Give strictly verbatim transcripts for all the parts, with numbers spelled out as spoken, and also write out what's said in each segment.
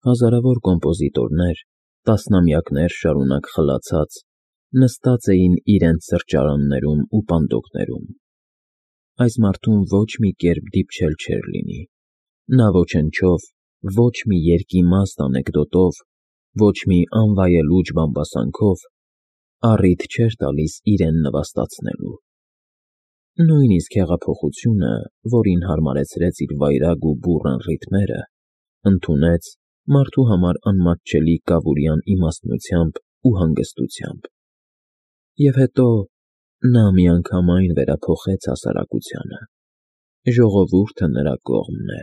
Հազարավոր կոմպոզիտորներ, տասնամյակներ շարունակ խլացած, նստած էին իրենց սրճարաններում ու պանդոկներում. այս մարդուն ոչ մի կերպ դիպչել չէր լինի. նա ոչնչով, ոչ մի երկիմաստ անեկդոտով, ոչ մի անվայելուչ բամբասանքով առիթ չէր տալիս իրեն նվաստացնելու. նույնիսկ հեղափոխությունը, որին հարմարեցրեց իր վայրագ ու բուռն ռիթմերը, ընդունեց մարդու համար անմատչելի կավուրյան իմաստնությամբ ու հանգստությամբ. և հետո նա միանգամայն վերափոխեց հասարակությանը. ժողովուրդը նրա կողմն է: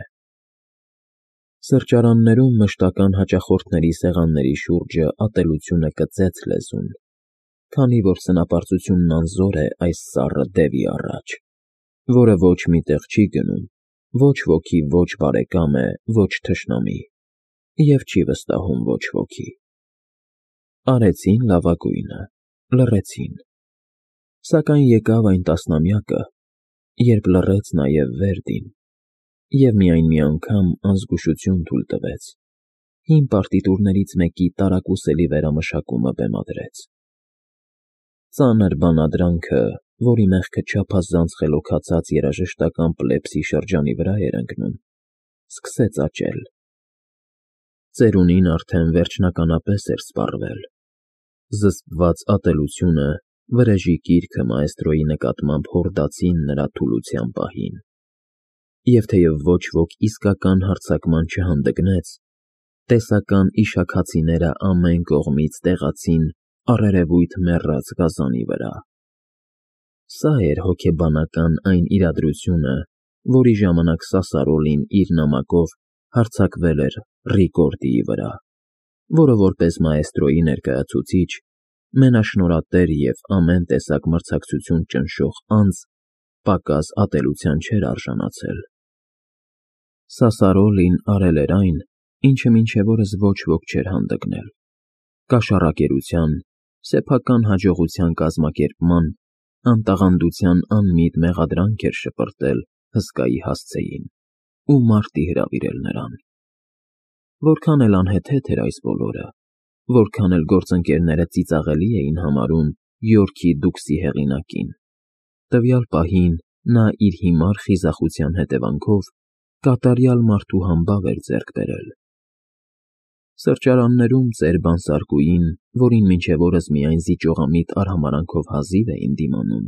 Սրճարաններում մշտական հաճախորդների սեղանների շուրջը ատելությունը կծեց լեզուն, քանի որ սնապարծությունն անզոր է այս սառը դևի առաջ, որը ոչ մի տեղ չի գնում, ոչ ոքի ոչ բարեկամ է, ոչ թշնամի, և չի վստահում ոչ ոքի: Արեցին լավագույնը, լռեցին: Սակայն եկավ այն տասնամյակը, երբ լռեց նաև Վերդին, և միայն մի անգամ անզգուշություն թույլ տվեց, հին պարտիտուրներից մեկի տարակուսելի վերամշակումը բեմադրեց: Ծանր բանադրանքը, որի մեղքը չափազանց խելոքացած երաժշտական պլեպսի շրջանի վրա էր ընկնում, սկսեց աճել: Ծերունին արդեն վերջնականապես էր սպառվել: Զսպված ատելությունը, վրեժի կիրքը մաէստրոյի նկատմամբ հորդացին նրա թուլության պահին: Եվ թեև ոչ ոք իսկական հարձակման չհանդգնեց, տեսական իշաքացիները ամեն կողմից տեղացին առերևույթ մեռած գազանի վրա: Սա էր հոգեբանական այն իրադրությունը, որի ժամանակ Սասարոլին իր նամակով հարձակվել էր Ռիկորդիի վրա, որը որպես մաէստրոյի ներկայացուցիչ, մենաշնորհատեր և ամեն տեսակ մրցակցություն ճնշող անձ պակաս ատելության չէր արժանացել: Սասարոլին արել էր այն, ինչը մինչև օրս ոչ ոք չէր հանդգնել: Կաշառակերության, սեփական հաջողության կազմակերպման, անտաղանդության անմիտ մեղադրանք էր շպրտել հսկայի հասցեին ու մարտի հրավիրել նրան: Որքան էլ անհեթեթ էր այս բոլորը, որքան էլ գործընկերները ծիծաղելի էին համարում Յորքի դուքսի հեղինակին, տվյալ պահին նա իր հիմար խիզախության հետևանքով կատարյալ մարդու համբավ էր ձեռք բերել: Սրճարաններում ծեր բանսարկուին, որին մինչև օրս միայն զիջողամիտ արհամարհանքով հազիվ էին դիմանում,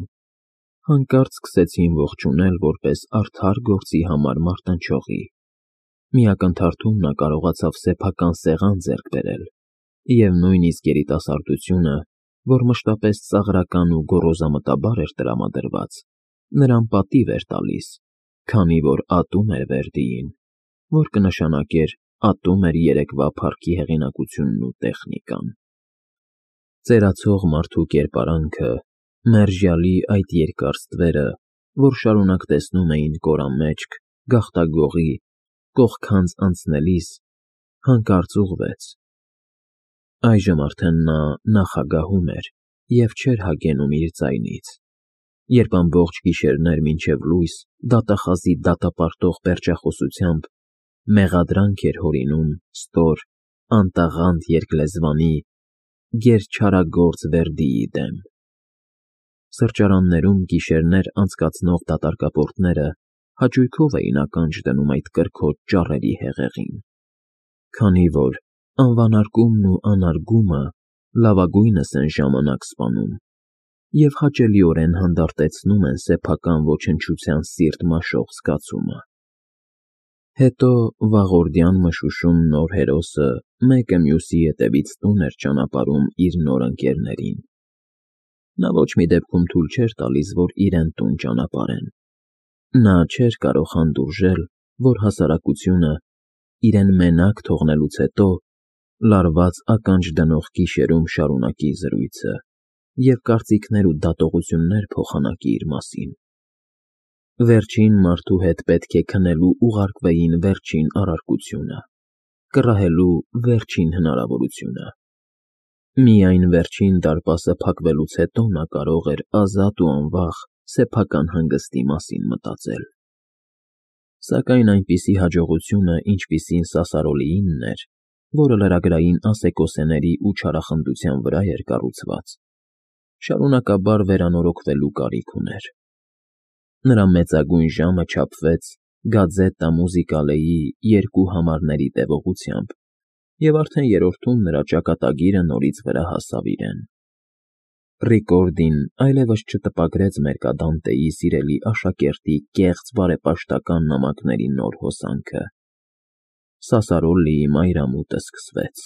հանկարծ սկսեցին ողջունել որպես արդար գործի համար մարտնչողի: Մի ակնթարթում նա կարողացավ սեփական սեղան ձեռք բերել և նույնիսկ երիտասարդությունը, որ մշտապես ծաղրական ու գոռոզամտաբար էր տրամադրված, նրան պատիվ էր տալիս, քանի որ ատում էր Վերդիին, որ կնշանակեր ատում էր երեկվա փառքի հեղինակությունն ու տեխնիկան: Ծերացող մարդու կերպարանքը, մերժյալի այդ երկար ստվերը, որ շարունակ տեսնում էին կորամեջք, գաղտագողի, կողքանց անցնելիս, հանկարծ ուղղվեց: Այժմ արդեն նա նախագահում էր և չէր հագենում իր ձայնից, երբ ամբողջ գիշերներ մինչև լույս դատախազի դատապարտող պերճախոսությամբ մեղադրանք էր հորինում ստոր, անտաղանդ երկլեզվանի, գերչարագործ Վերդիի դեմ: Սրճարաններում գիշերներ անցկացնող դատարկապորտները հաճույքով էին ականջ դնում այդ կրքոտ ճառերի հեղեղին, քանի որ անվանարկումն ու անարգումը լավագույնս են ժամանակ սպանում և հաճելիորեն հանդարտեցնում են սեփական ոչնչության սիրտ մաշող զգացումը: Հետո վաղորդյան մշուշում նոր հերոսը մեկը մյուսի ետևից տուն էր ճանապարհում իր նոր ընկերներին: Նա ոչ մի դեպքում թույլ չէր տալիս, որ իրեն տուն ճանապարհեն: Նա չէր կարող հանդուրժել, որ հասարակությունը, իրեն մենակ թողնելուց հետո, լարված ականջ դնող գիշերում շարունակի զրույցը և կարծիքներ ու դատողություններ փոխանակի իր մասին: Վերջին մարդու հետ պետք է քնելու ուղարկվեին վերջին առարկությունը, կռահելու վերջին հնարավորությունը: Միայն վերջին դարպասը փակվելուց հետո նա կարող էր ազատ ու անվախ սեփական հանգստի մասին մտածել: Սակայն այնպիսի հաջողությունը, ինչպիսին Սասարոլիինն էր, որը լրագրային ասեկոսեների ու չարախնդության վրա էր կառուցված, շարունակաբար վերանորոգվելու կարիք ուներ։ Նրա մեծագույն ժամը չափվեց Գազետա Մուզիկալեի երկու համարների տևողությամբ, և արդեն երրորդում նրա ճակատագիրը նորից վրա հասավ իրեն։ Ռիկորդին այլևս չտպագրեց Մերկադանտեի սիրելի աշակերտի կեղծ բարեպաշտական նամակների նոր հոսանքը։ Սասարոլլիի մայրամուտը սկսվեց։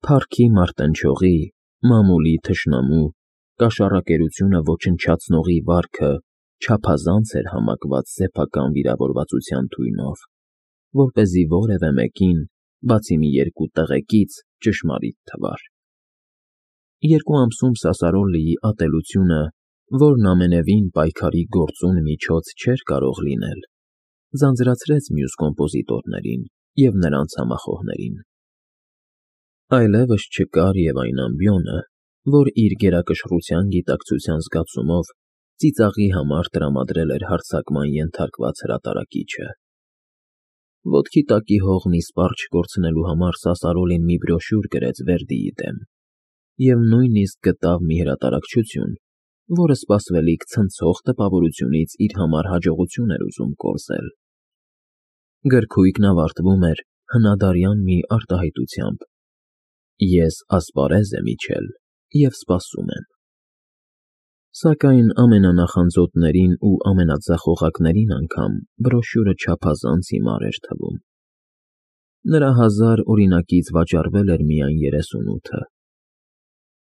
Փառքի մարտնչողի, մամուլի թշնամու, կաշառակերությունը ոչնչացնողի վարքը չափազանց էր համակված սեփական վիրավորվածության թույնով, որպեսզի որևէ մեկին, բացի մի երկու տղեկից, ճշմարիտ թվար։ Երկու ամսում Սասարոլլիի ատելությունը, որն ամենևին պայքարի գործուն միջոց չէր կարող լինել, ձանձրացրեց մյուս կոմպոզիտորներին և նրանց համախոհներին։ Այլևս չկար և այն ամբիոնը, որ իր գերակշռության գիտակցության զգացումով ծիծաղի համար տրամադրել էր հարձակման ենթարկված հրատարակիչը։ Ոտքի տակի հողն իսպառ չկորցնելու համար Սասարոլին մի բրոշյուր գրեց Վերդիի դեմ և նույնիսկ գտավ մի հրատարակչություն, որը սպասվելիք ցնցող տպավորությունից իր համար հաջողություն էր ուզում կորզել։ Գրքույկն ավարտվում էր հնադարյան մի արտահայտությամբ. «Ես ասպարեզ եմ իջել և սպասում եմ»։ Սակայն ամենանախանձոտներին ու ամենաձախողակներին անգամ բրոշյուրը չափազանց հիմար էր թվում։ Նրա հազար օրինակից վաճառվել էր միայն երեսունութը։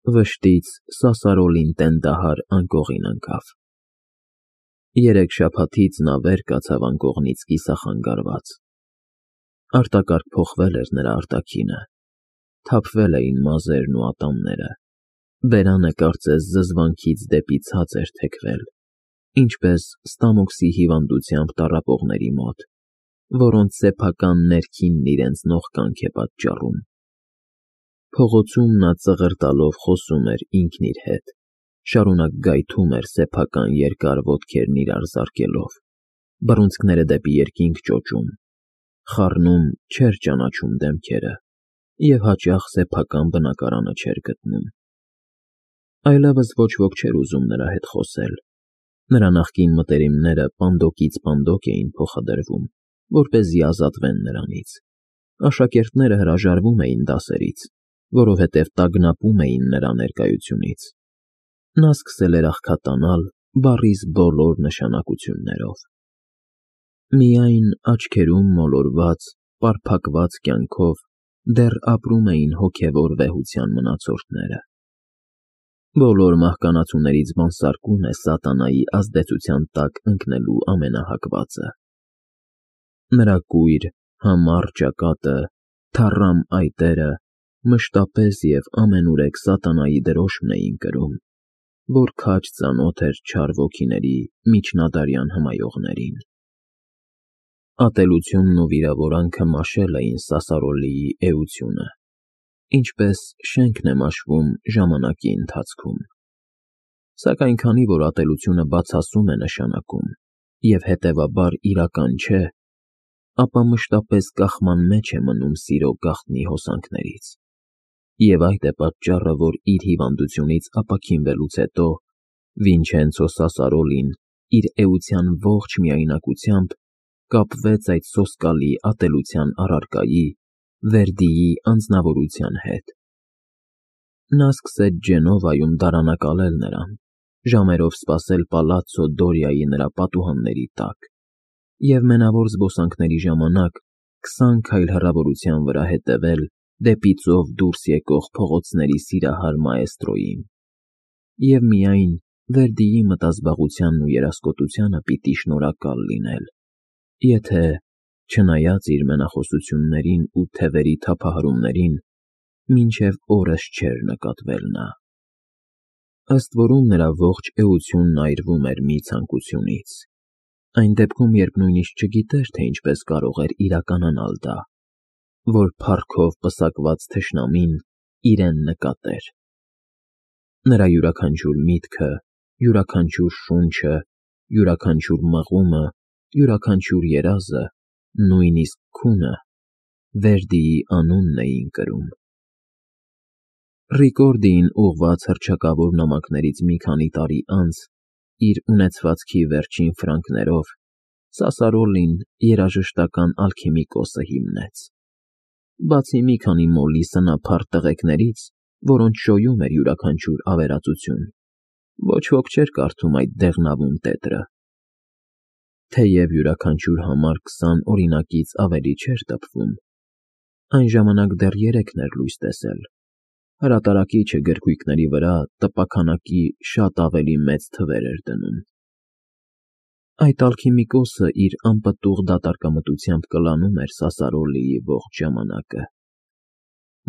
Վշտից Սասարոլին տենդահար անկողին ընկավ։ Երեք շաբաթից նա վեր կացավ անկողնից կիսախանգարված։ Արտակարգ փոխվել էր նրա արտաքինը, թափվել էին մազերն ու ատամները, բերանը կարծես զզվանքից դեպի ցած էր թեքվել, ինչպես ստամոքսի հիվանդությամբ տառապողների մոտ, որոնց սեփական ներքինն իրենց նողկանք է պատճառում։ Փողոցում նա ծղր տալով խոսում էր ինքն իր հետ, շարունակ գայթում էր սեփական երկար ոտքերն իրար զարկելով, բռունցքները դեպի երկինք ճոճում, խառնում չէր ճանաչում դեմքերը և հաճախ սեփական բնակարանը չէր գտնում։ Այլևս ոչ ոք չէր ուզում նրա հետ խոսել։ Նրա նախկին մտերիմները պանդոկից պանդոկ էին փոխադրվում, որպեսզի ազատվեն նրանից։ Աշակերտները հրաժարվում էին դասերից, որովհետև տագնապում էին նրա ներկայությունից։ Նա սկսել էր աղքատանալ բառիս բոլոր նշանակություններով։ Միայն աչքերում մոլորված, պարփակված կյանքով դեռ ապրում էին հոգևոր վեհության մնացորդները։ Բոլոր մահկանացուներից բանսարկում է սատանայի ազդեցության տակ ընկնելու ամենահակվածը։ Նրա կույր, համառ ճակատը, թառամ այտերը մշտապես և ամենուրեք սատանայի դրոշմն էին կրում, որ քաջ ծանոթ էր չար ոգիների միջնադարյան հմայողներին։ Ատելությունն ու վիրավորանքը մաշել էին Սասարոլիի էությունը, ինչպես շենքն է մաշվում ժամանակի ընթացքում։ Սակայն քանի որ ատելությունը բացասում է նշանակում և հետևաբար իրական չէ, ապա մշտապես կախման մեջ է մնում սիրո գաղտնի հոսանքներից։ Եվ այդ է պատճառը, որ իր հիվանդությունից ապաքինվելուց հետո Վինչենցո Սասարոլին իր էության ողջ միայնակությամբ կապվեց այդ սոսկալի ատելության առարկայի՝ Վերդիի անձնավորության հետ։ Նա սկսեց Ջենովայում դարանակալել նրան, ժամերով սպասել պալացցո Դորիայի նրա պատուհանների տակ և մենավոր զբոսանքների ժամանակ քսան քայլ հեռավորության վրա հետևել դեպի ծով դուրս եկող փողոցների սիրահար մաեստրոյին։ Եվ միայն Վերդիի մտազբաղությանն ու երասկոտությանը պիտի շնորհակալ լինել, եթե, չնայած իր մենախոսություններին ու թևերի թափահարումներին, մինչև օրս չէր նկատվել նա։ Ըստ որում նրա ողջ էությունն այրվում էր մի ցանկությունից, այն դեպքում, երբ նույնիսկ չգիտեր, թե ինչպես կարող էր իրականանալ դա, որ փառքով պսակված թշնամին իրեն նկատեր։ Նրա յուրաքանչյուր միտքը, յուրաքանչյուր շունչը, յուրաքանչյուր մղումը, յուրաքանչյուր երազը, նույնիսկ քունը Վերդիի անունն էին կրում։ Ռիկորդիին ուղղված հռչակավոր նամակներից մի քանի տարի անց, իր ունեցվածքի վերջին ֆրանկներով, Սասարոլին երաժշտական ալքիմիկոսը հիմնեց։ Բացի մի քանի մոլի սնափառ տղեկներից, որոնց շոյում էր յուրաքանչյուր ավերածություն, ոչ ոք չէր կարդում այդ դեղնավուն տետրը։ Թեև յուրաքանչյուր համար քսան օրինակից ավելի չէր տպվում, այն ժամանակ դեռ երեքն էր լույս տեսել, հրատարակիչը գրքույկների վրա տպաքանակի շատ ավելի մեծ թվեր էր դնում։ Այդ ալքիմիկոսը իր անպտուղ դատարկամտությամբ կլանում էր Սասարոլիի ողջ ժամանակը։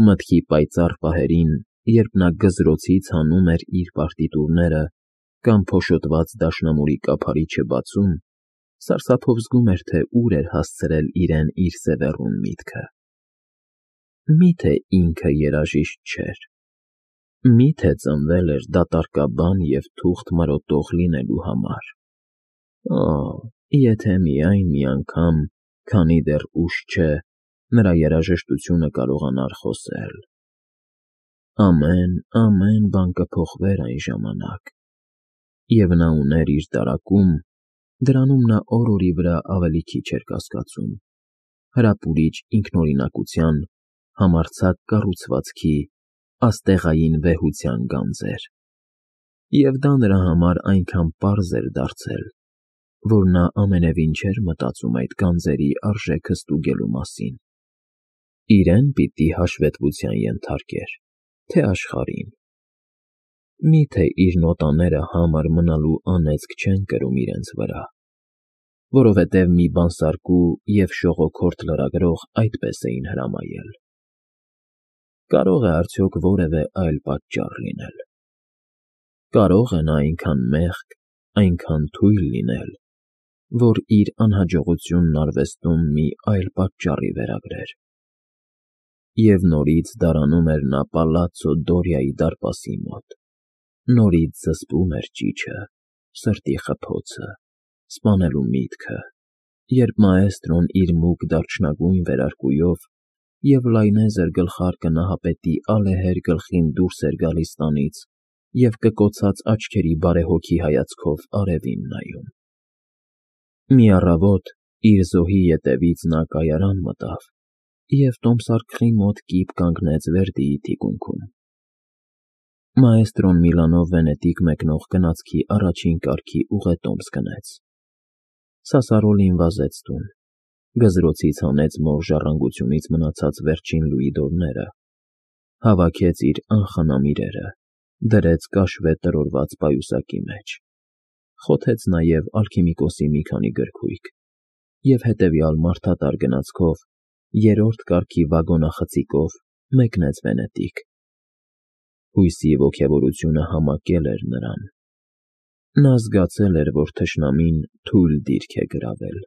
Մտքի պայծառ պահերին, երբ նա գզրոցից հանում էր իր պարտիտուրները կամ փոշոտված դաշնամուրի կափարիչը բացում, սարսափով զգում էր, թե ուր էր հասցրել իրեն իր սևեռուն միտքը։ Մի՞թե ինքը երաժիշտ չէր։ Մի՞թե ծնվել էր դատարկաբան և թուղթ մրոտող լինելու համար։ Օ՜, եթե միայն մի անգամ, քանի դեռ ուշ չէ, նրա երաժշտությունը կարողանար խոսել։ Ամեն, ամեն բան կփոխվեր այն ժամանակ, և նա ուներ իր դարակում, դրանում նա օր֊օրի վրա ավելի քիչ էր կասկածում, հրապուրիչ ինքնօրինակության, համարձակ կառուցվածքի, աստեղային վեհության գանձեր։ Եվ դա նրա համար այնքան պարզ էր դարձել, որ նա ամենևին չէր մտածում այդ գանձերի արժեքը ստուգելու մասին։ Իրեն պիտի հաշվետվության ենթարկեր, թե աշխարհին։ Մի՞թե իր նոտաները համր մնալու անեծք չեն կրում իրենց վրա, որովհետև մի բանսարկու և շողոքորթ լրագրող այդպես էին հրամայել։ Կարո՞ղ է արդյոք որևէ այլ պատճառ լինել։ Կարո՞ղ է նա այնքան մեղք, այնքան թույլ լինել, որ իր անհաջողությունն արվեստում մի այլ պատճառի վերագրեր։ Եվ նորից դարանում էր նա պալացցո Դորիայի դարպասի մոտ, նորից զսպում էր ճիչը, սրտի խփոցը, սպանելու միտքը, երբ մաէստրոն իր մուգ դարչնագույն վերարկուով և լայնեզր գլխարկը նահապետի ալեհեր գլխին դուրս էր գալիս տանից և կկոցած աչքերի բարեհոգի հայացքով արևին նայում։ Մի առավոտ իր զոհի ետևից նա կայարան մտավ և տոմսարկղի մոտ կիպ կանգնեց Վերդիի թիկունքում։ Մաէստրոն Միլանով Վենետիկ մեկնող գնացքի առաջին կարգի ուղետոմս գնեց։ Սասարոլին վազեց տուն, գզրոցից հանեց մոր ժառանգությունից մնացած վերջին լուիդորները, հավաքեց իր անխնամ իրերը, դրեց կաշվե տրորված պայուսակի մեջ, խոթեց նաև ալքիմիկոսի մի քանի գրքույկ և հետևյալ մարդատար գնացքով, երրորդ կարգի վագոնախցիկով մեկնեց Վենետիկ։ Հույսի ոգևորությունը համակել էր նրան։ Նա զգացել էր, որ թշնամին թույլ դիրք է գրավել։